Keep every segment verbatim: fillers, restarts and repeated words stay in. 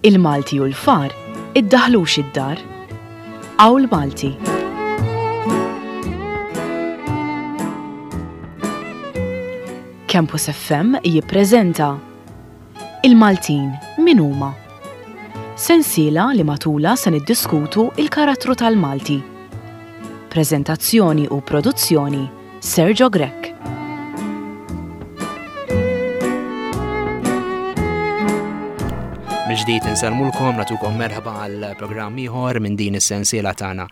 Il-Malti u l-far iddaħlux id-dar. Qawl Malti. Campus F M jippreżenta Il-Maltin min huma? Sensiela li matula se niddiskutu il-karattru tal-Malti. Preżentazzjoni u produzzjoni Sergio Grech. Mill-ġdid insellmulkom, nagħtukom merħba għal programm ieħor minn din is-sensiela tagħna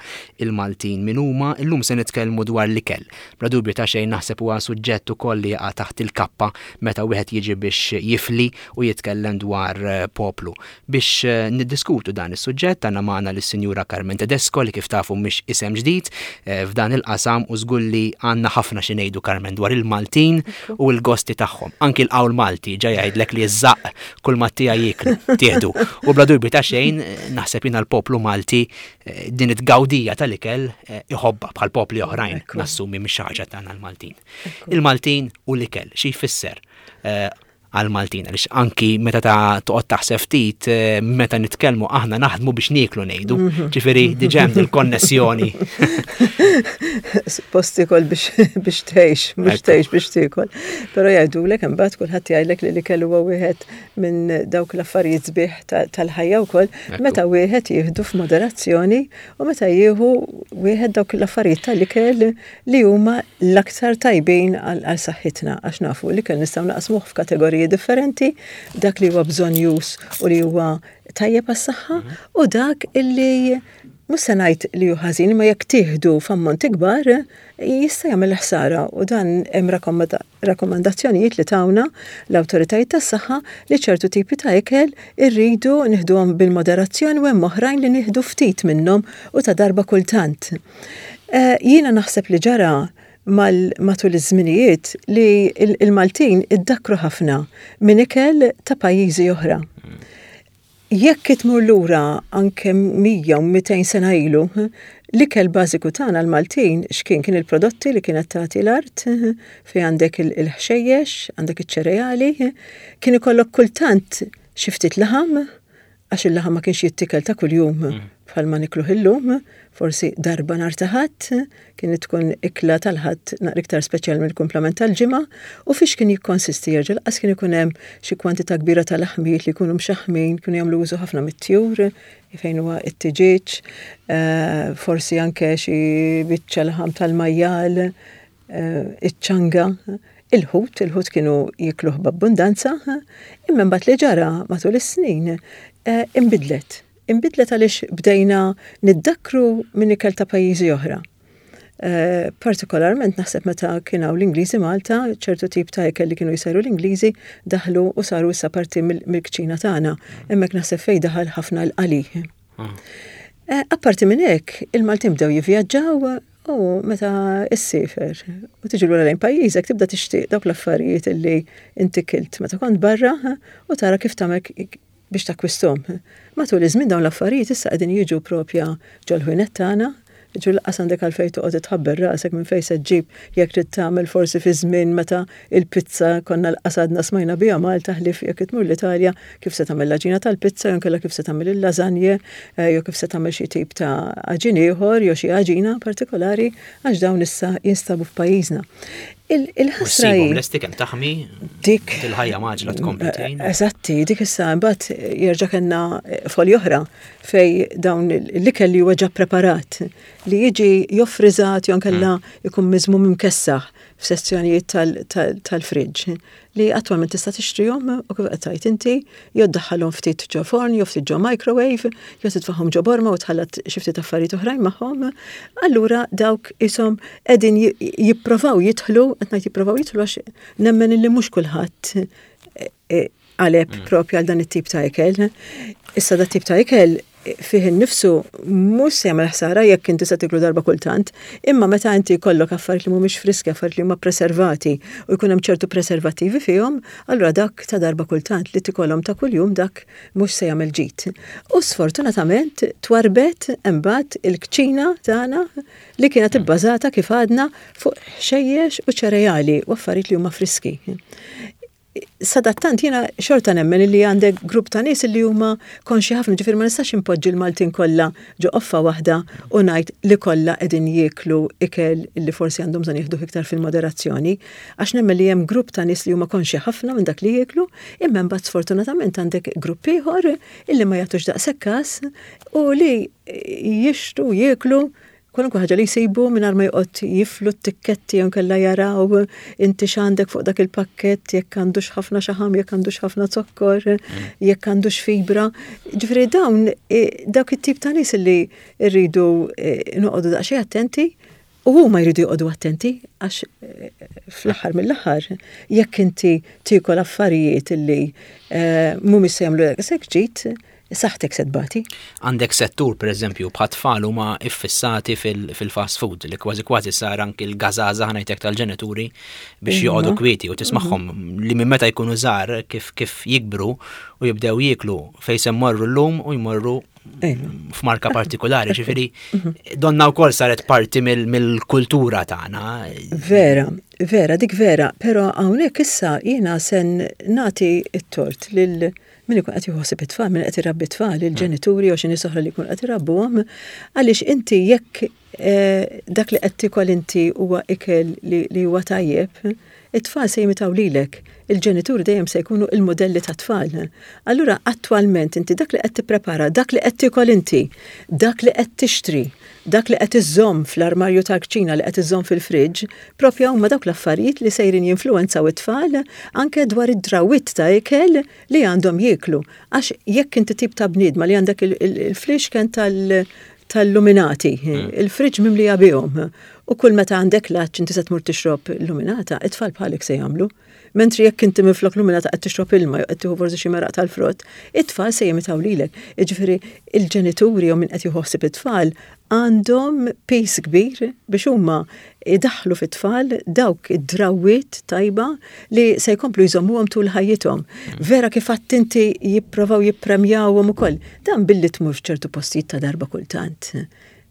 Il-Maltin min huma. Illum se nitkellmu dwar l-ikel. Bla dubju ta' xejn naħseb huwa suġġett ukoll li jaqa' taħt il-kappa meta wieħed jiġi biex jifli u jitkellem dwar poplu. Biex niddiskutu dan is-suġġett għandna magħna lis-Sinjura Carmen Tedesco li kif tafu mhix isem ġdid, eh, f'dan il-qasam u żgur li għandna ħafna xi ngħidu Carmen dwar il-Maltin u l-gosti tagħhom. Anki l-qawl Malti ġa jgħidlek li ż-żaqq kull ma tija jieklu, tieħdu. U bla dubju ta' xejn naħseb jiena l-poplu Malti, eh, din it-tgawdija tal-ikel, eh, iħobbha bħal popli oħrajn, Ekku. nassumi mhix xi ħaġa tagħna l-Maltin. Ekku. Il-Maltin u l-ikel xi jfisser, eh, għal-Maltin, għaliex anki meta ta' toqgħod taħseb ftit, eh, meta nitkellmu aħna naħdmu biex nieklu ngħidu. Mhm. Ġifieri diġà hemm il-konnessjoni. Suppost tiekol biex, biex tgħix, mhux Ekku. tgħix biex tiekol. Però jgħidulek imbagħad kulħadd jgħidlek li l-ikel huwa wieħed minn dawk l-affarijiet sbieħ ta-, tal-ħajja wkoll, Ekku. meta wieħed jieħdu f'moderazzjoni u meta jieħu wieħed dawk l-affarijiet tal-ikel li huma l-aktar tajbin għal, għal saħħitna, għax nafu l-ikel nistgħu naqsmuh f'kategoriji differenti, dak li huwa bżonjus u li huwa tajjeb għas-saħħa Mhm. u dak illi mhux se ngħid li hu ħażin, imma jekk tieħdu f'ammont ikbar jista' jagħmel ħsara, u dan hemm rakkomanda-, rakkomandazzjonijiet li tawna l-awtoritajiet tas-saħħa li ċertu tipi ta' ikel irridu nieħduhom bil-moderazzjoni u hemm oħrajn li nieħdu ftit minnhom u ta' darba kultant. Eh, jiena naħseb li ġara mal-, matul iż-żminijiet li il-, il-Maltin iddakkru ħafna minn ikel ta' pajjiżi oħra. Jekk itmur lura anke mija u mitejn sena ilu, l-ikel bażiku tagħna l-Maltin x'kien kien il-prodotti li kienet tagħti l-art, fejn għandek il-, il-ħxejjex, għandek iċ-ċereali, kien ikollok kultant xi ftit laħam, għax il-laħam ma kienx jittikel ta' kuljum Mm. bħalma nikluh illum, forsi darba nhar ta' Ħadd, kienet tkun ikla tal-Ħadd naqra iktar speċjal mill-kumplament tal-ġimgħa, u fiex kien jikkonsisti jerġa' laqas kien ikun hemm xi kwantità kbira ta' laħmijiet li jkunu mxaħmin, kienu jagħmlu użu ħafna mit-tjur, fejn huwa it-tiġieġ, eh, forsi anke xi biċċa laħam tal-majjal, eh, iċ-ċanga. Il-ħut, il-ħut kienu jikluh b'abbundanza, imma mbagħad li ġara matul is-snin, eh, inbidlet. Inbidlet għaliex bdejna niddakkru minn ikel ta' pajjiżi oħra. Eh, partikolarment naħseb meta kien hawn l-Ingliżi Malta, ċertu tip ta' ikel li kienu jsajru l-Ingliżi daħlu u saru issa parti mill-, mill-kċina tagħna. Hemmhekk naħseb fejn daħal ħafna l-qali. Ah. Eh, apparti minn hekk, il-Maltin bdew jivvjaġġaw u meta issiefer u tiġi lura lejn pajjiżek tibda tixtieq dawk l-affarijiet illi inti kilt meta kont barra u tara kif tagħmel biex takkwisthom. Matul iż-żmien dawn l-affarijiet issa qegħdin jiġu propja ġol-ħwienet tagħna, jiġu laqas għandek għalfejn toqgħod tħabber rasek minn fejn se ġġib jekk trid tagħmel forsi fi żmien meta il-pizza konna laqas għadna smajna biha Malta ħlief jekk tmur l-Italja kif se tagħmel l-għaġina tal-pizza jew inkella kif se tagħmel il-lażanje, eh, jew kif se tagħmel xi tip ta' għaġin ieħor jew xi għaġina partikolari għax dawn issa jinstabu f'pajjiżna. Il-, il-ħasra U ssibhom hi lesti kemm taħmi dik il-ħajja maġla tkompli tgħin. Eżatti, dik issa mbagħad jerġa' kellna folja oħra fej dawn l-ikel li huwa ġa preparat li jiġi joffriżat jew inkella Mm. jkun miżmum imkessaħ f'sezzjonijiet tal-, tal-, tal-friġġ li attwalment tista' tixtrihom u kif qed tgħid inti jew ddaħħalhom ftit ġo forn jew ftit ġo microwave jew titfagħhom ġo borma u tħallat xi ftit affarijiet oħrajn magħhom. Allura dawk ishom qegħdin ji-, jipprovaw jidħlu, qed ngħid jipprovaw jidħlu għax nemmen illi mhux kulħadd, eh, eh, qaleb Mm. propju għal dan it-tip ta' ikel. Issa dat tip ta' ikel fih innifsu mhux se jagħmel ħsara jekk inti se tiklu darba kultant, imma meta inti jkollok affarijiet li mhumiex friski, affarijiet li huma preservati u jkun hemm ċertu preservattivi fihom, allura dak ta' darba kultant li tikolhom ta' kuljum dak mhux se jagħmel ġid. U sfortunatament twarbet imbagħad il-kċina tagħna li kienet ibbażata kif għadna fuq ħxejjex u ċereali u affarijiet li huma friski. Sadattant jiena xorta nemmen li għandek grupp ta' nies li huma konxi ħafna, ġifieri ma nistax impoġġi l-Maltin kollha ġo qoffa waħda u ngħid li kollha qegħdin jieklu ikel li forsi għandhom bżonn jieħdu iktar fil-moderazzjoni, għax nemmen li hemm grupp ta' nies li huma konxi ħafna minn dak li jieklu, imma mbagħad sfortunatament għandek grupp ieħor illi ma jagħtux daqshekk każ u li jixtru jieklu kwalunkwe ħaġa li jsibu mingħajr ma joqgħod jiflu t-tikketti jew inkella jaraw inti x'għandek fuq dak il-pakkett, jekk għandux ħafna xaħam, jekk għandux ħafna zokkor, mm. jekk għandux fibra. Ġifieri dawn e, dawk it-tip ta' nies li rridu e, noqogħdu daqsxejn attenti. U huma jridu joqogħdu attenti għax e, fl-aħħar mill-aħħar jekk inti tiekol affarijiet illi mhumiex se jagħmlu daqshekk ġid, saħtek se tbati. Għandek settur, per eżempju, bħat-tfal huma iffissati fil-fast food li kważi kważi sar anki l-gazaza ħa ngħidlek tal-ġenituri biex joqogħdu kwieti u tismagħhom li minn meta jkunu żgħar kif kif jikbru u jibdew jieklu fejn se mmorru llum u jmorru f'marka partikolari, ġifieri donna wkoll saret parti mill-kultura tagħna. Vera, vera, dik vera, però hawnhekk issa jiena sen nagħti t-tort lil min ikun qed jħossib it-tfal, min qed irabbi t-tfal, il-ġenituri u xi nies oħra li jkun qed irabbuhom, għaliex inti jekk eh, dak li qed tikol inti huwa ikel li huwa tajjeb, it-tfal se jimitaw lilek. Il-ġenituri dejjem se jkunu il-modelli ta' tfal. Allura attwalment inti dak li qed tipprepara, dak li qed tikol inti, dak li qed tixtri, dak li qed iżżomm fl-armarju tal-kċina, li qed iżżomm fil-friġġ, propja huma dawk l-affarijiet li sejrin jinfluwenzaw it-tfal anke dwar id-drawwiet ta' ikel li għandhom jieklu. Għax jekk inti tip ta' bniedma li għandek il-flixken tal- tal-luminati, hmm. il-friġġ mimlija bihom, u kull meta għandek l-għatx inti se tmur tixrob luminata, it-tfal bħalek se jagħmlu. Mentri jekk inti minflok luminata qed tixrob ilma jew qed tieħu forsi xi meraq tal-frott, it-tfal se jimitaw lilek. Jiġifieri il-ġenituri jew min qed jħossib it-tfal għandhom piż kbir biex huma idaħlu fit-tfal dawk id-drawwiet tajba li se jkomplu jżommuhom tul ħajjithom. Vera kif inti jipprovaw jippremjawhom ukoll. Dan billi tmur f'ċertu postijiet ta' darba kultant.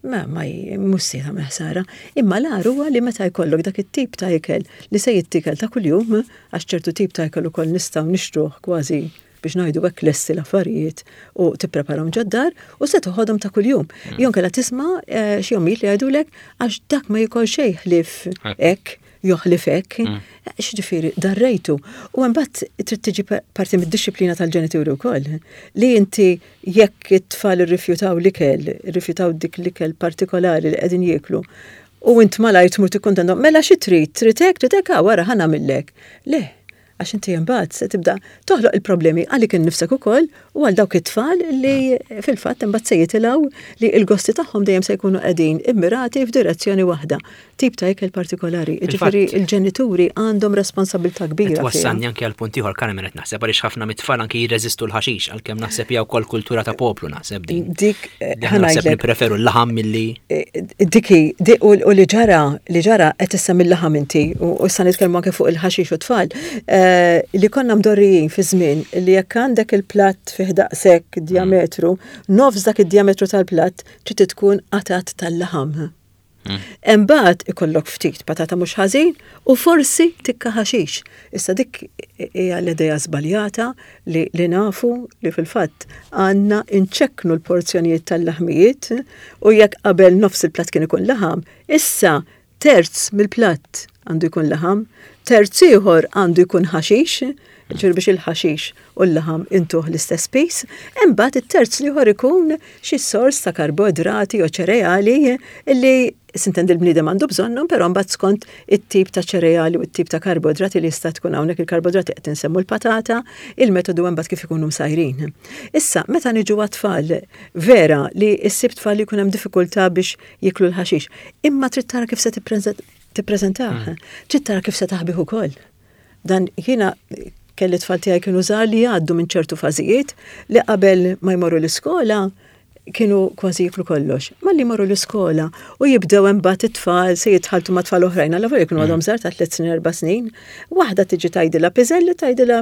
Ma ma mhux se tagħmel ħsara. Imma l-agħar huwa li meta jkollok dak it-tip ta' ikel li se jittikel ta' kuljum, għax ċertu tip ta' ikel ukoll nistgħu nixtruh kważi biex ngħidu hekk lesti l-affarijiet u tippreparahom ġod-dar u se toħodhom ta' kuljum. Mm. Jew inkella tisma' eh, xi ommijiet li jgħidulek għax dak ma jikol xejn ħlief hekk, jew ħlief hekk. Mm. X'ġifieri darrejtu. U mbagħad trid tiġi parti mid-dixxiplina tal-ġenituri wkoll. Li inti jekk it-tfal irrifjutaw l-ikel, irrifjutaw dik l-ikel partikolari li qegħdin jieklu, u int malajr tmur tikkuntentom, mela xi trid, trid hekk, trid hekk, ah, wara ħa nagħmillek. Le, għax inti imbagħad se tibda toħloq il-problemi għalik innifsek ukoll u għal dawk it-tfal li fil-fatt imbagħad se jitilgħu li l-gosti tagħhom dejjem se jkunu qegħdin immirati f'direzzjoni waħda, tip ta' ikel partikolari. Ġifieri il-ġenituri għandhom responsabilità kbira. Twassalni anke għal punt ieħor, Carmen, qed naħseb għaliex ħafna mit-tfal anke jirreżistu l-ħaxix, għalkemm naħseb hija wkoll kultura ta' poplu naħseb din. Dik naħseb nippreferu l-laħam milli Diki, u li ġara, li ġara qed issemmi l-laħam inti u issa nitkellmu anke fuq il-ħaxix u tfal. Li konna mdorrijin fi żmien li jekk għandek il-platt fih daqshekk diametru, nofs dak id-diametru tal-platt trid tkun qatat tal-laħam. Imbagħad ikollok ftit patata mhux ħażin u forsi tikka ħaxix. Issa dik hija l-idea żbaljata li, li nafu li fil-fatt għandna inċekknu l-porzjonijiet tal-laħmijiet u jekk qabel nofs il-platt kien ikun laħam, issa terz mill-platt għandu jkun laħam, terz ieħor għandu jkun ħaxix, ġifieri biex il-ħaxix u l-laħam intuh l-istess piż, imbagħad it-terz l-ieħor ikun xi sors ta' karboidrati jew ċereali illi sintendi l-bniedem għandu bżonnhom, però mbagħad skont it-tip ta' ċereali u t-tip ta' karboidrati li jista' tkun hawnhekk il-karboidrati qed insemmu l-patata, il-metodu mbagħad kif ikunu msajrin. Issa, meta niġu għat-tfal, vera li ssib tfal li jkun hemm diffikultà biex jiklu l-ħaxix, imma trid tara kif se tippreżentah, trid tara kif se taħbih ukoll. Dan jiena kelli tfal tiegħi kienu żgħar li jgħaddu minn ċertu fażijiet li qabel ma jmorru l-iskola Kienu kważi jiklu kollox. Malli marru l-iskola u jibdew imbagħad it-tfal se jitħaltu ma' tfal oħrajn, alla volja jkunu għadhom mm. żgħar ta' tliet snin, erba' snin, waħda tiġi tgħidilha piżelli, tgħidilha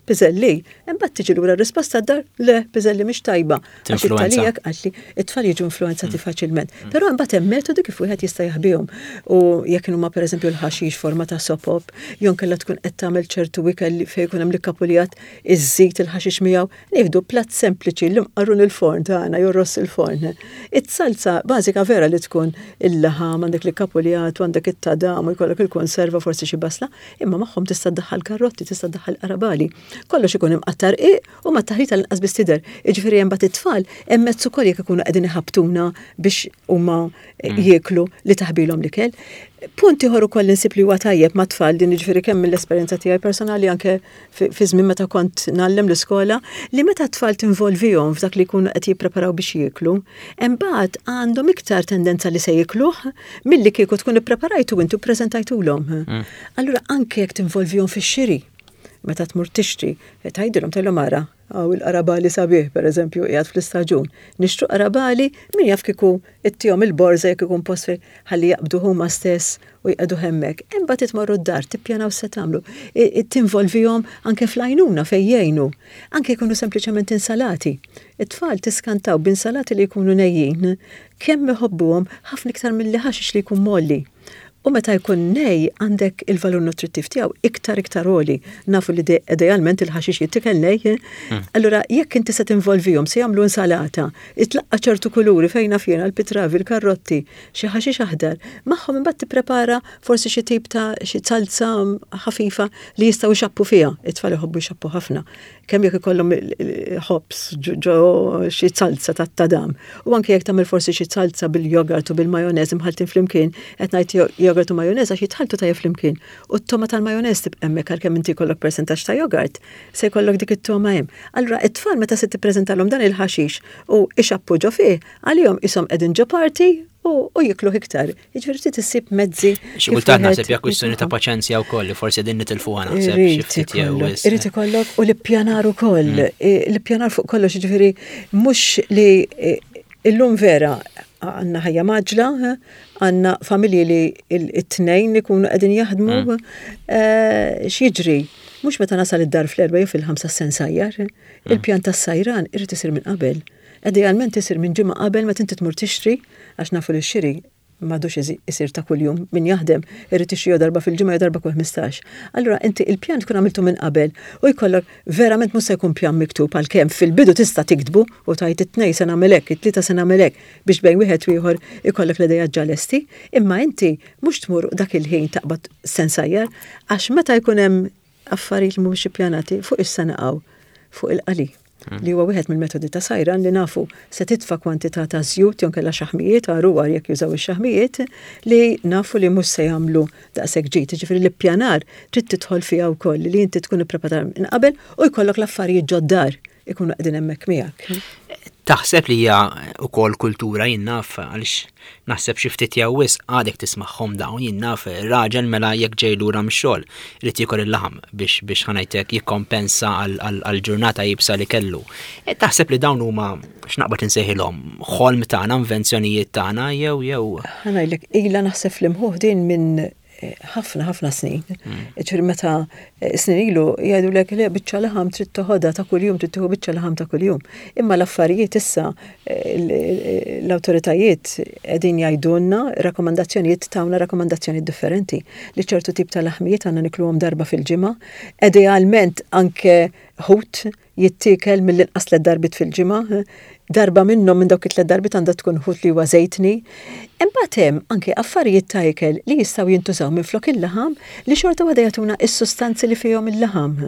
piżelli. Imbagħad tiġi lura risposta d-dar, le, piżelli mhix tajba. Għax it-talijak qalli it-tfal jiġu influenzati mm. faċilment. Mm. Però imbagħad hemm metodi kif wieħed jista' jaħbihom. U jekk huma, pereżempju, l-ħaxix forma ta' sopop, jew kellha tkun qed tagħmel ċertu ikel fejn jkun hemm l-kapulijat iżżid il-ħaxix miegħu, nieħdu platt sempliċi, l-imqarrun il-forn tagħna jew ross il-forn. It-salza bażika vera li tkun il-laħam, għandek l-kapulijat, għandek it-tadam, u jkollok il-konserva, forsi xi basla, imma magħhom tista' ddaħħal karotti, tista' ddaħħal qarabali. Kollox ikun imqattar u ma taħlita l-inqas biss tidher. Jiġifieri hemm bat it-tfal hemm mezz ukoll jekk ikunu qegħdin iħabtuna biex huma mm. jieklu li taħbilhom l-ikel. Punt ieħor ukoll insib li huwa tajjeb ma' tfal din, jiġifieri kemm mill-esperjenza tiegħi personali, anke fi żmien meta kont ngħallem l-iskola, li meta t-tfal tinvolvihom f'dak li jkunu qed jippreparaw biex jieklu, imbagħad għandhom iktar tendenza li se jikluh milli kieku tkun ippreparajtu intu preżentajtulhom. Mm. Allura anke jekk tinvolvihom fix-xiri, meta tmur tixtri, tgħidilhom tgħidilhom ara, hawn il-qarabali sabiħ, per eżempju, qiegħed fl-istaġun. Nixtru qarabali, min jaf kieku ittihom il-borża jekk ikun post ħalli jaqbdu huma stess u jqegħdu hemmhekk. Imbagħad tmorru d-dar, tippjanaw se tagħmlu. Tinvolvihom anke fl-għajnuna fejn jgħinu. Anke jkunu sempliċement insalati. It-tfal tiskantaw b'insalati li jkunu nejjin, kemm iħobbuhom ħafna iktar mill-li ħaxix li jkun molli. U meta jkun nej, għandek il-valur nutrittiv tiegħu iktar iktar għoli. Nafu li idealment il-ħaxix jittikel nej. Mm. Allura jekk inti se tinvolvihom, se jagħmlu insalata, itlaqqa ċertu kuluri fejn naf jiena l-pitravi, l-karrotti, xi ħaxix aħdar, magħhom imbagħad tipprepara forsi xi tip ta' xi salza ħafifa li jistgħu jxappu fiha. It-tfal iħobbu jxappu ħafna. Kemm jekk ikollhom ħobż ġo xi salza tat-tadam. U anke jekk tagħmel forsi xi salza bil-jogurt u bil-majonez imħaltin flimkien, qed ngħid jogurt u majonez għax jitħaltu tajjeb flimkien. U t-toma tal-majonez tibqa' hemmhekk għalkemm inti jkollok persentaġġ ta' jogurt, se jkollok dik it-toma hemm. Allura it-tfal meta se tippreżentalhom dan il-ħaxix u ixappu ġo fih, għalihom ishom qegħdin ġo party u jiklu iktar. Jiġifieri trid issib mezzi. Xi kultant naħseb hija kwistjoni ta' paċenzja wkoll li forsi din nitilfuha, naħseb xi ftit jew. Irid ikollok u l-ippjanar ukoll. Mm. L-ippjanar fuq kollox, jiġifieri mhux li illum vera għandna ħajja mgħaġġla, għandna familji li it-tnejn li kunu qegħdin jaħdmu, mm. eh, x'jiġri? Mhux meta nasal id-dar fl-erba' jew fil-ħamsa se nsajjar, mm. il-pjan tas-sajran irid isir minn qabel. Idealment isir minn ġimgħa qabel meta inti tmur tixtri, għax nafu li x-xiri m'għadux isir ta' kuljum, min jaħdem irid ixtri darba fil-ġimgħa jew darba kull ħmistax. Allura inti il-pjan tkun għamiltu minn qabel u jkollok verament mhux se jkun pjan miktub, għalkemm fil-bidu tista' tiktbu u tgħid it-Tnejn se nagħmel hekk, it-Tlieta se nagħmel hekk, biex bejn wieħed u ieħor ikollok l-idea ġa lesti, imma inti mhux tmur dak il-ħin taqbad se nsajjar, għax meta jkun hemm affarijiet li mhumiex ippjanati fuq issa naqgħu fuq il-qali, hmm. li huwa wieħed mill-metodi ta' sajran li nafu se titfa' kwantità ta' żjut jew kellha xaħmijiet għaru għar jekk jużaw ix-xaħmijiet li nafu li mhux se jagħmlu daqshekk ġid. Ġifieri l-ippjanar trid tidħol fiha wkoll li inti tkun ippreparat minn qabel u jkollok l-affarijiet ġod-dar ikunu qegħdin hemmhekk miegħek. Taħseb li hija wkoll kultura, jien naf, għaliex naħseb xi ftit jew wisq għadek tismagħhom dawn, jien naf, raġel mela jekk ġej lura mix-xogħol irid jiekol il-laħam biex biex ħa ngħidlek jikkompensa għal ġurnata iebsa li kellu. E, taħseb li dawn huma, x'naqbad insejħilhom, ħolm tagħna, invenzjonijiet tagħna jew jew? Ħa ngħidlek, ilha naħseb fl-imħuħ din minn ħafna ħafna snin. Mm. Ġifieri meta eh, snin ilu jgħidu lek le, biċċa laħam trid toħodha ta' kuljum, trid tieħu biċċa laħam ta' kuljum. Imma l-affarijiet issa eh, l-awtoritajiet qegħdin jgħidulna rakkomandazzjonijiet, tawna rakkomandazzjonijiet differenti li ċertu tip ta' laħmijiet għandna nikluhom darba fil-ġimgħa, idealment anke ħut jittiekel mill-inqas tliet darbit fil-ġimgħa, darba minnhom minn dawk it-tliet darbit għandha tkun ħut li huwa żejtni. Imbagħad hemm anke affarijiet ta' ikel li jistgħu jintużaw minn flok il-laħam li xorta waħda jagħtuna is-sustanzi li fihom il-laħam.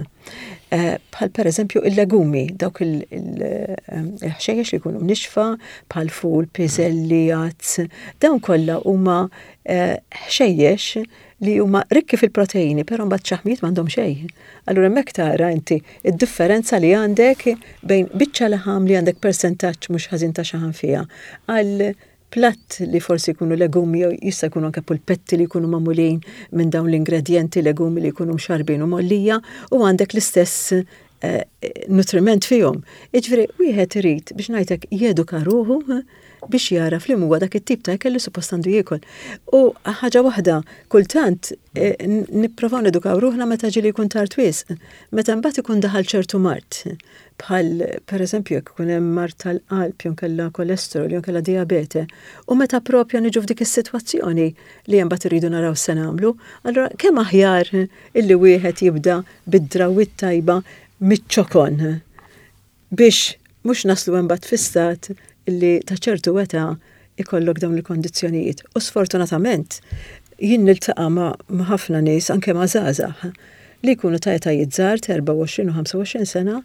Eh, bħal per eżempju il-legumi, dawk il-ħxejjex li jkunu mnixfa, bħal ful, piżelli, għads, dawn kollha huma eh, ħxejjex li huma rikki fil-proteini, però mbagħad xaħmijiet m'għandhom xejn. Allura hemmhekk tara inti id-differenza li għandek bejn biċċa laħam li għandek persentaġġ mhux ħażin ta' xaħam fiha għal platt li forsi jkunu legumi jew jista' jkunu anke pulpetti li jkunu magħmulin minn dawn l-ingredjenti, legumi li jkunu mxarbin u mgħollija, u għandek l-istess eh, nutriment fihom. Jiġifieri wieħed irid, biex ngħidlek, jeduka ruħu eh, biex jaraf li huwa dak it-tip ta' ikel li suppost għandu jiekol. U ħaġa waħda, kultant eh, nipprovaw nedukaw ruħna meta ġieli jkun tard wisq, meta mbagħad ikun daħal ċertu mard, bħal pereżempju jekk ikun hemm mard tal-qalb, jew kellha kolesterol, jew kellha diabete, u meta propja niġu f'dik is-sitwazzjoni li hemm mbagħad irridu naraw se nagħmlu, allura kemm aħjar illi wieħed jibda bid-drawwiet tajba miċ-ċokon biex mhux naslu mbagħad fi stat illi ta' ċertu età ikollok dawn il-kondizzjonijiet. U sfortunatament jien niltaqa' ma' ħafna nies, anke ma' żgħażagħ li jkunu ta' etajiet żgħar ta' erbgħa u għoxrin u ħamsa u għoxrin sena,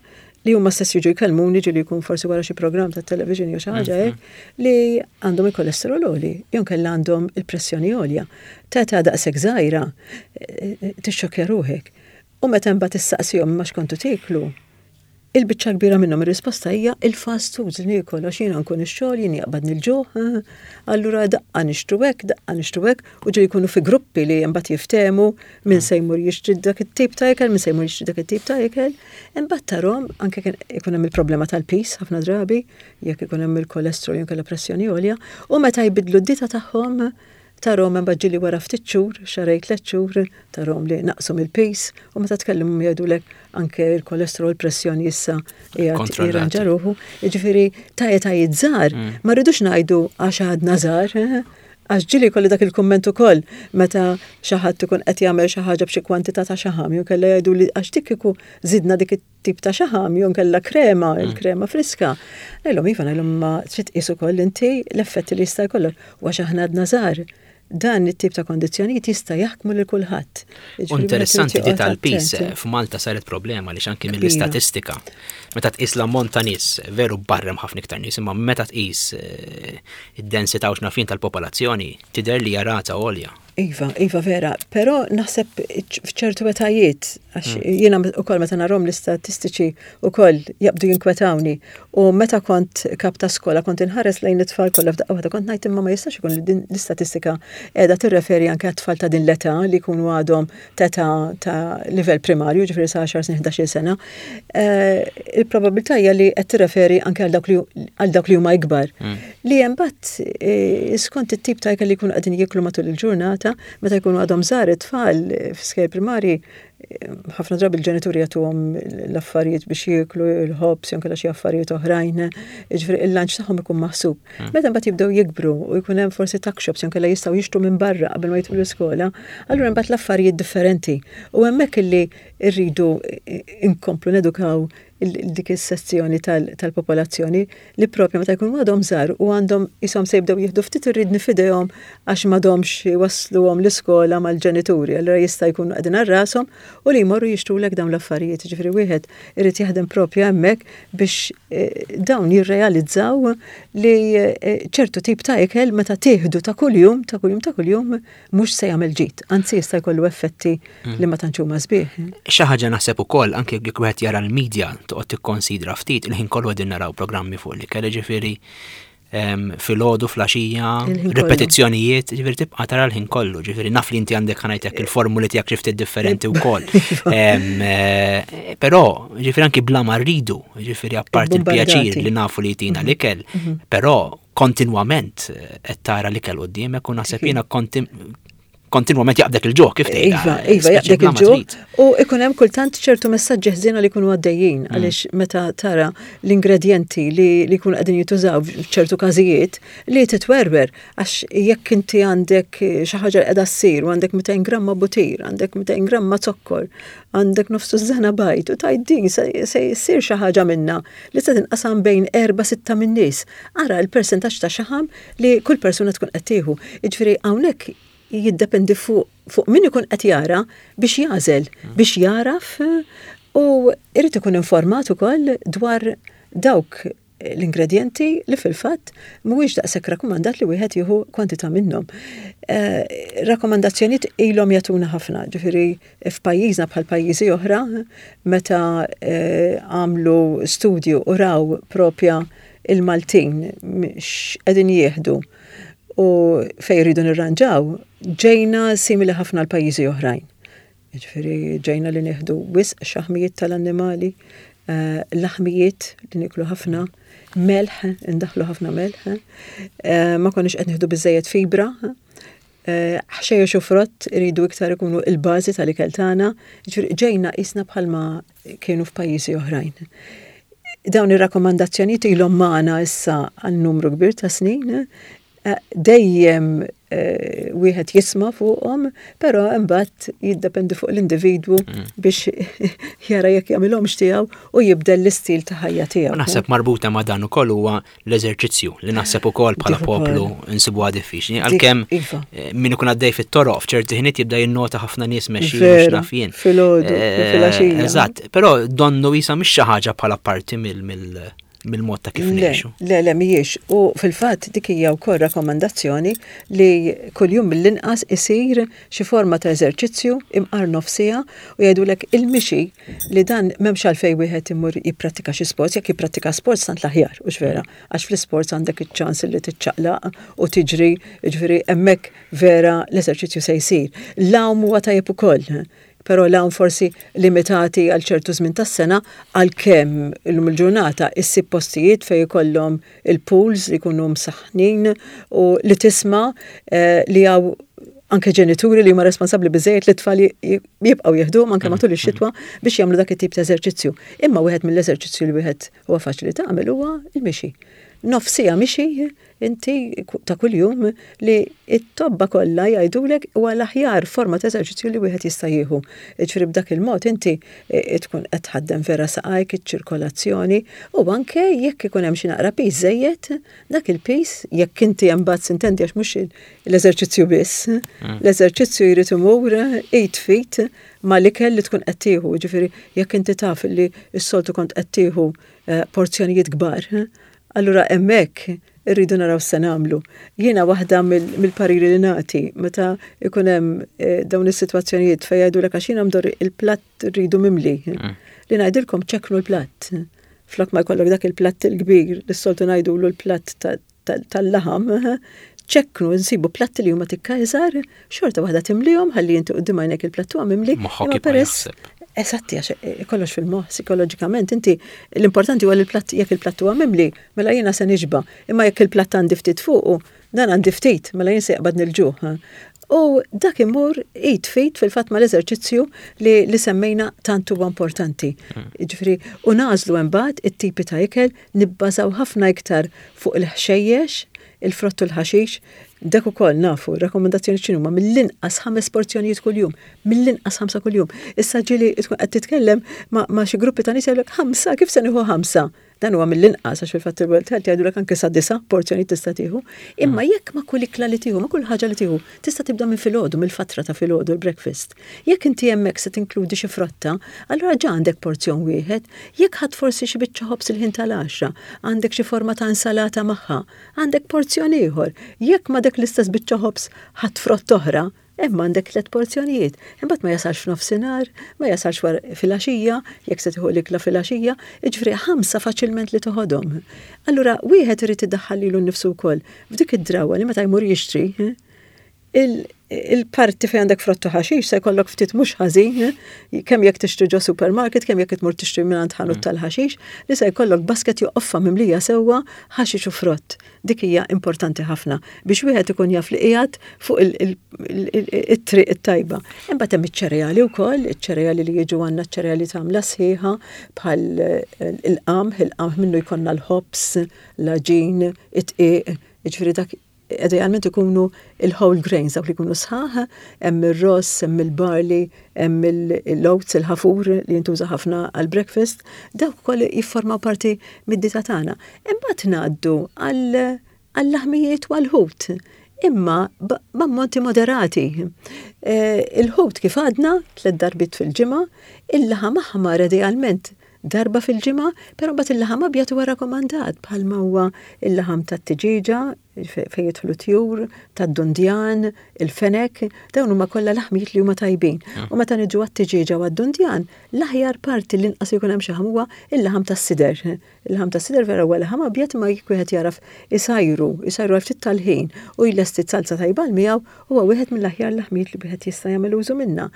li huma stess jiġu jkellmuni, ġieli jkun forsi wara xi programm ta' television jew xi ħaġa mhm. hekk, li għandhom il-kolesterol għoli, jew kellha għandhom il-pressjoni għolja. Ta' età daqshekk żgħira, eh, eh, tixxokkja ruħek. U meta mbagħad issaqsihom ma x'kontu tieklu, il-biċċa kbira minnhom ir-risposta hija il-fast foods li niekol għax jiena nkun ix-xogħol, jien jaqbadni l-ġuħ, allura daqqa nixtru hekk, daqqa nixtru hekk, u ġieli jkunu fi gruppi li mbagħad jiftehmu min se jmur jixtri dak it-tip ta' ikel, min se jmur jixtri dak it-tip ta' ikel. Imbagħad tarahom anke kien ikun hemm il-problema tal-piż ħafna drabi, jekk ikun hemm il-kolesterol jew kellha pressjoni għolja, u meta jbidlu d-dieta tagħhom tarahom imbagħad ġieli wara ftit xhur, xahrejn, tliet xhur, tarahom li naqsu mill-piż u meta tkellimhom jgħidulek anke il-kolesterol, pressjoni issa qiegħed jirranġa ruħu. Jiġifieri ta' etajiet żgħar mm. ma rridux ngħidu għax għadna żgħar, eh? Għax ġieli kolli dak il-kumment ukoll meta xi ħadd ikun qed jagħmel xi ħaġa b'xi kwantità ta' xaħam, jew kellha jgħidu li għax dik kieku żidna dik it-tip ta' xaħam, jew kellha krema, mm. il-krema friska. Ngħidlhom iva, ngħidlhom ma trid tqis ukoll inti l-effetti li jista' jkollok u għax aħna għadna żgħar, dan it-tip ta' kondizzjonijiet jista' jaħkmu lil kulħadd. Interessanti di tal-piż, f'Malta saret problema li anki mill-istatistika. Meta tqis l-ammont ta' nies, veru barrem ħafna iktar nies, imma meta tqis eh, id-densità u x'naf jien tal-popolazzjoni, tidher li rata għolja. Iva, iva vera, però naħseb f'ċertu etajiet, għax mm. jiena ukoll meta narahom l-istatistiċi ukoll jabdu jinkwetawni. U meta kont kap ta' skola kont inħares lejn it-tfal kollha f'daqqa waħda, kont ngħid imma ma jistax ikun li din l-istatistika qiegħda tirreferi anke għat-tfal ta' din l-età li jkunu għadhom ta' ta' livell primarju, ġifieri sa' għaxar snin, ħdax-il sena. Eh, il-probabilità hija li qed tirreferi anke għal dawk li huma ikbar. Mm. Li imbagħad eh, skont it-tip ta' ikel li jkunu qegħdin jieklu matul il-ġurnata, meta jkunu għadhom żgħar it-tfal f'iskejjel primari, ħafna drabi il-ġenituri jagħtuhom l-affarijiet biex jieklu, il-ħobż jew xi affarijiet oħrajn, jiġifieri il-lunch tagħhom ikun maħsub. Hmm. Meta mbagħad jibdew jikbru u jkun hemm forsi tuck shops jew kellha jistgħu jixtru minn barra qabel ma jidħlu l-iskola, allura mbagħad l-affarijiet differenti. U hemmhekk illi rridu inkomplu nedukaw dik is-sezzjoni tal-popolazzjoni li propju meta jkunu għadhom żgħar u għandhom ishom se jibdew jieħdu ftit ir-riedni f'idejhom għax m'għadhomx wasluhom l-iskola mal-ġenituri, allura jista' jkunu qegħdin għal rashom u li jmorru jixtrulek dawn l-affarijiet. Ġifieri wieħed irid jaħdem propju hemmhekk biex eh, dawn jirrealizzaw li eh, ċertu tip ta' ikel meta tieħdu ta' kuljum, ta' kuljum, ta' kuljum mhux se jagħmel ġid, anzi jista' jkollu effetti mm. li ma tantx huma sbieħ. Xi ħaġa naħseb ukoll anke jekk wieħed jara l-medja, toqgħod tikkonsidra ftit, il-ħin kollu qegħdin naraw programmi fuq l-ikel, ġifieri filgħodu, filgħaxija, ripetizzjonijiet, ġifieri tibqa' tara l-ħin kollu, ġifieri naf li inti għandek, ħa ngħidlek, il-formuli tiegħek xi ftit differenti wkoll. Eh, però ġifieri anki bla ma rridu, ġifieri apparti il-pjaċir li nafu li jtina mhm. l-ikel, mhm. però kontinwament qed tara l-ikel quddiemek u naħseb jiena kontinwament jaqbdek il-ġuħ, kif tgħid. Iva, iva, jaqbdek il-ġuħ. U ikun hemm kultant ċertu messaġġi ħżiena li jkunu għaddejjin mm. għaliex meta tara l-ingredjenti li li jkunu qegħdin jitużaw f'ċertu każijiet li titwerwer, għax jekk inti għandek xi ħaġa li qiegħda ssir u għandek mitejn gramma butir, għandek mitejn gramma zokkor, għandek nofs tużżana bajd u tgħid din se jsir xi ħaġa minna li se tinqasam bejn erba' sitta min-nies. Ara l-persentaġġ ta' xaħam li kull persuna tkun qed tieħu. Jiġifieri hawnhekk jiddependi fuq fuq min ikun qed jara biex jagħżel, mm. biex jaraf u irid ikun informat ukoll dwar dawk l-ingredienti li fil-fatt mhuwiex daqshekk rakkomandat li wieħed jieħu kwantità minnhom. Eh, rakkomandazzjonijiet ilhom jagħtuna ħafna, ġifieri f'pajjiżna bħal pajjiżi oħra, meta eh, għamlu studju u raw propja il-Maltin x'qegħdin jieħdu u fejn jridu nirranġaw, ġejna simili ħafna l-pajjiżi oħrajn. Ġifieri ġejna li nieħdu wisq xaħmijiet tal-annimali, eh, laħmijiet li niklu ħafna, melħ, indaħlu ħafna melħ, eh, ma konniex qed nieħdu biżejjed fibra, eh, ħxejjex u frott iridu iktar ikunu il-bażi tal-ikel tagħna, ġifieri ġejna qisna bħalma kienu f'pajjiżi oħrajn. Dawn ir-rakkomandazzjonijiet ilhom magħna issa għal numru kbir ta' snin, eh, dejjem eh, wieħed jisma' fuqhom, però imbagħad jiddependi fuq l-individwu mm. biex jara jekk jagħmilhomx tiegħu u jibdel l-istil ta' ħajja tiegħu. Naħseb marbuta ma' dan ukoll huwa l-eżerċizzju li naħseb ukoll bħala poplu nsibuha diffiċli. Għalkemm iva. eh, min ikun għaddej fit-toroq f'ċerti ħiniet jibda jinnota ħafna nies mexjin x'naf jien. Filgħodu, filgħaxija. Eżatt, però donnu jisa mhix xi ħaġa bħala parti mill mill-mod ta' kif ngħixu. Le, le, mhijiex. U fil-fatt dik hija wkoll rakkomandazzjoni li kuljum mill-inqas isir xi forma ta' eżerċizzju imqar nofs siegħa u jgħidulek il-mixi li dan m'hemmx għalfejn wieħed imur jipprattika xi sports, jekk jipprattika sports tant l-aħjar, u vera, għax fl-isports għandek iċ-ċans li tiċċaqlaq u tiġri, ġifieri hemmhekk vera l-eżerċizzju se jsir. L-għawm huwa tajjeb ukoll però l forsi limitati għal ċertu żmien tas-sena għalkemm illum il-ġurnata issib postijiet fejn ikollhom il-pools li jkunu msaħħnin u li tisma' eh, li hawn anke ġenituri li huma responsabbli biżejjed li tfal jibqgħu jieħduhom anke matul ix-xitwa biex jagħmlu dak it-tip ta' eżerċizzju. Imma wieħed mill-eżerċizzju li wieħed huwa faċli tagħmel huwa il-mixi. Nofs siegħa mixi inti ta' kuljum li it-tobba kollha jgħidulek huwa l-aħjar forma ta' eżerċizzju li wieħed jista' jieħu. Ġifieri b'dak il-mod inti e, tkun qed tħaddem vera saqajk iċ-ċirkolazzjoni u anke jekk ikun hemm xi naqra piż żejjed, dak il-piż jekk inti imbagħad sintendi għax mhux l-eżerċizzju biss. Mm. L-eżerċizzju jrid imur id f'id mal-ikel li tkun qed tieħu, ġifieri jekk inti taf li s-soltu kont qed tieħu eh, porzjonijiet kbar, allura hemmhekk irridu naraw se nagħmlu. Jiena waħda mill-pariri li nagħti meta ikun hemm eh, dawn is-sitwazzjonijiet fejn jgħidulek għax jiena mdorri il-platt rridu mimli. Mm. Li ngħidilkom ċekknu l-platt. Flok ma jkollok dak il-platt il-kbir, li s-soltu ngħidulu l-platt tal-laħam, ċekknu nsibu platti li huma tikka iżgħar, xorta waħda timlihom ħalli inti quddiem għajnek il-platt huwa mimli. Moħħok peress Eżatti, għax eh, kollox fil-moħħ, psikoloġikament, inti l-importanti huwa li l-platt jekk il-platt huwa mimli, mela jiena se nixba, imma jekk il-platt għandi ftit fuqu, dan għandi ftit, mela jien se jaqbad il-ġuħ. U dak imur id f'id fil-fatt mal-eżerċizzju li, li semmejna tant huwa importanti. Mm. Ġifieri, u nagħżlu imbagħad it-tipi ta' ikel nibbażaw ħafna iktar fuq il-ħxejjex, il-frott u l-ħaxix, dak ukoll nafu, rakkomandazzjoni x'inhuma mill-inqas ħames porzjonijiet kuljum, mill-inqas ħamsa kuljum. Issa ġieli tkun qed titkellem ma', ma xi gruppi ta' nies jgħidulek ħamsa, kif se nieħu ħamsa? Dan huwa mill-inqas għax fil-fatt il-World Health jgħidulek anke sa disa' porzjonijiet tista' tieħu. Imma mm. jekk ma' kull ikla li tieħu, ma' kull ħaġa li tieħu, tista' tibda minn filgħodu, mill-fatra ta' filgħodu l-breakfast. Jekk inti hemmhekk se tinkludi xi frotta, allura ġa għandek porzjon wieħed. Jekk ħadd forsi xi biċċa ħobż il-ħin tal-għaxra, għandek xi forma ta' insalata magħha, għandek porzjon ieħor. Jekk ma' dak l-istess biċċa ħobż ħadd frott oħra, hemm għandek tliet porzjonijiet. Imbagħad ma jasalx f'nofsinhar, ma jasalx filgħaxija, jekk se tieħu l-ikla filgħaxija, jiġifieri ħamsa faċilment li toħodhom. Allura wieħed irid iddaħħal lilu nnifsu wkoll f'dik id-drawa li meta jmur jixtri, il-parti fejn għandek frott u ħaxix se jkollok ftit mhux ħażin, kemm jekk tixtri ġo supermarket, kemm jekk tmur tixtri minn ħanut mm. tal-ħaxix, li se jkollok basket jew qoffa mimlija sewwa ħaxix u frott. Dik hija importanti ħafna biex wieħed ikun jaf li qiegħed fuq it-triq it-tajba. Imbagħad hemm iċ-ċereali wkoll, iċ-ċereali li jiġu għandna ċ-ċereali tagħmla sħiħa bħal il-qamħ, il-qamħ minnu jkollna l-ħobż, l-għaġin, it-dqiq, jiġifieri dak idealment ikunu il-whole grains, dawk li jkunu sħaħ, hemm ir-ross, hemm il-barley, hemm il-oats, il-ħafur li jintuża ħafna għal-breakfast, dawk ukoll jiffurmaw parti mid-dieta tagħna. Imbagħad ngħaddu għall-laħmijiet u għall-ħut imma b'ammonti moderati. Eh, il-ħut kif għadna tliet darbiet fil-ġimgħa, il-laħam aħmar idealment darba fil-ġimgħa, però mbagħad il-laħam abjad huwa rakkomandat bħalma huwa il-laħam tat-tiġiġa, Fejn jidħlu tjur, tad-dundjan, il-fenek, dawn huma kollha laħmijiet li huma tajbin. Mm. U meta niġu għat-tiġieġa u għad-dundjan, l-aħjar parti li inqas jkun hemm xaħam huwa il-laħam tas-sider. Il-laħam tas-sider vera huwa laħam abjad, ma jekk wieħed jaraf isajru, isajru għal ftit tal-ħin u jlesti salsa tajba miegħu, huwa wieħed mill-aħjar laħmijiet li wieħed jista' jagħmel użu minnha.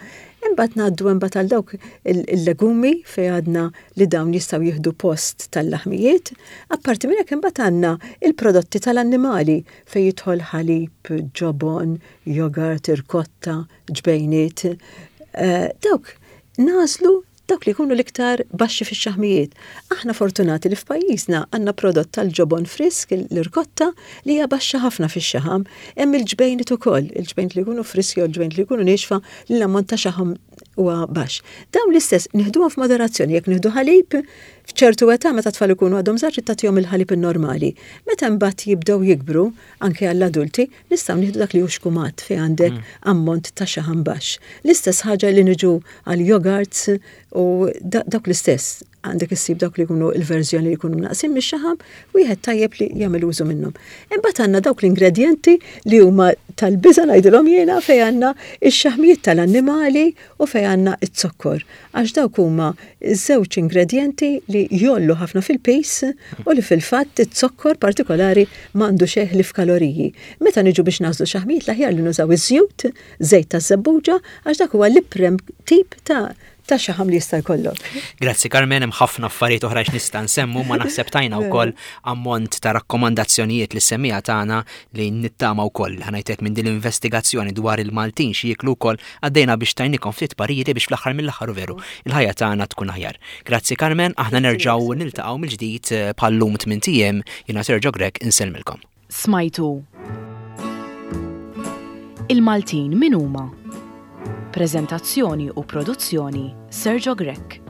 Imbagħad ngħaddu imbagħad għal dawk il-legumi fejn għadna li dawn jistgħu jieħdu post tal-laħmijiet. Apparti minn hekk, imbagħad għandna il-prodotti tal-annimali fejn jidħol ħalib, ġobon, jogurt, irkotta, ġbejniet. Eh, dawk nagħżlu dawk li jkunu l-iktar baxxi fix-xaħmijiet. Aħna fortunati li f'pajjiżna għandna prodott tal-ġobon frisk, l-irkotta, li hija baxxa ħafna fix-xaħam. Hemm il-ġbejniet ukoll, il-ġbejniet li jkunu friski u l-ġbejniet li jkunu niexfa li l-ammont ta' xaħam huwa baxx. Dawn l-istess nieħduhom f'moderazzjoni. Jekk nieħdu ħalib, f'ċertu età, meta tfal ikunu għadhom żgħar, tagħtihom il-ħalib normali. Meta mbagħad jibdew jikbru, anke għall-adulti, nistgħu nieħdu dak li hu xkumat fejn għandek mm. ammont ta' xaħam baxx. L-istess ħaġa li niġu għal yogurts u dawk l-istess, għandek issib dawk li jkunu il-verżjoni li jkunu naqsin mix-xaħam, wieħed tajjeb li jagħmel użu minnhom. Imbagħad għandna dawk l-ingredjenti li huma tal-biża' ngħidilhom jiena, fejn għandna x-xaħmijiet tal-annimali u fejn għandna z-zokkor. Għax dawk huma żewġ ingredjenti li jgħollu ħafna fil-pis u li fil-fatt iz-zokkor partikolari m'għandu xejn li f'kaloriji. Meta niġu biex nagħżlu xaħmijiet, l-aħjar li nużaw iż-żjut, żejt taż-żebbuġa, għax dak huwa l-iprem tip ta' ta' xaħam li jista' jkollok. Grazzi Carmen, hemm ħafna affarijiet oħra x'nista' nsemmu, ma naħseb tajna wkoll ammont ta' rakkomandazzjonijiet lis-semmiegħa tagħna li nittama wkoll ħa ngħidlek minn din l-investigazzjoni dwar il-Maltin xi jieklu wkoll għaddejna biex tajnikom ftit pariri biex fl-aħħar mill-aħħar veru il-ħajja tagħna tkun aħjar. Grazzi Carmen, aħna nerġgħu niltaqgħu mill-ġdid eh, bħal-lum tmint ijiem. Jiena Sergio Grech, insellmilkom. Smajtu Il-Maltin min huma? Prezentazzjoni u produzzjoni: Sergio Grech.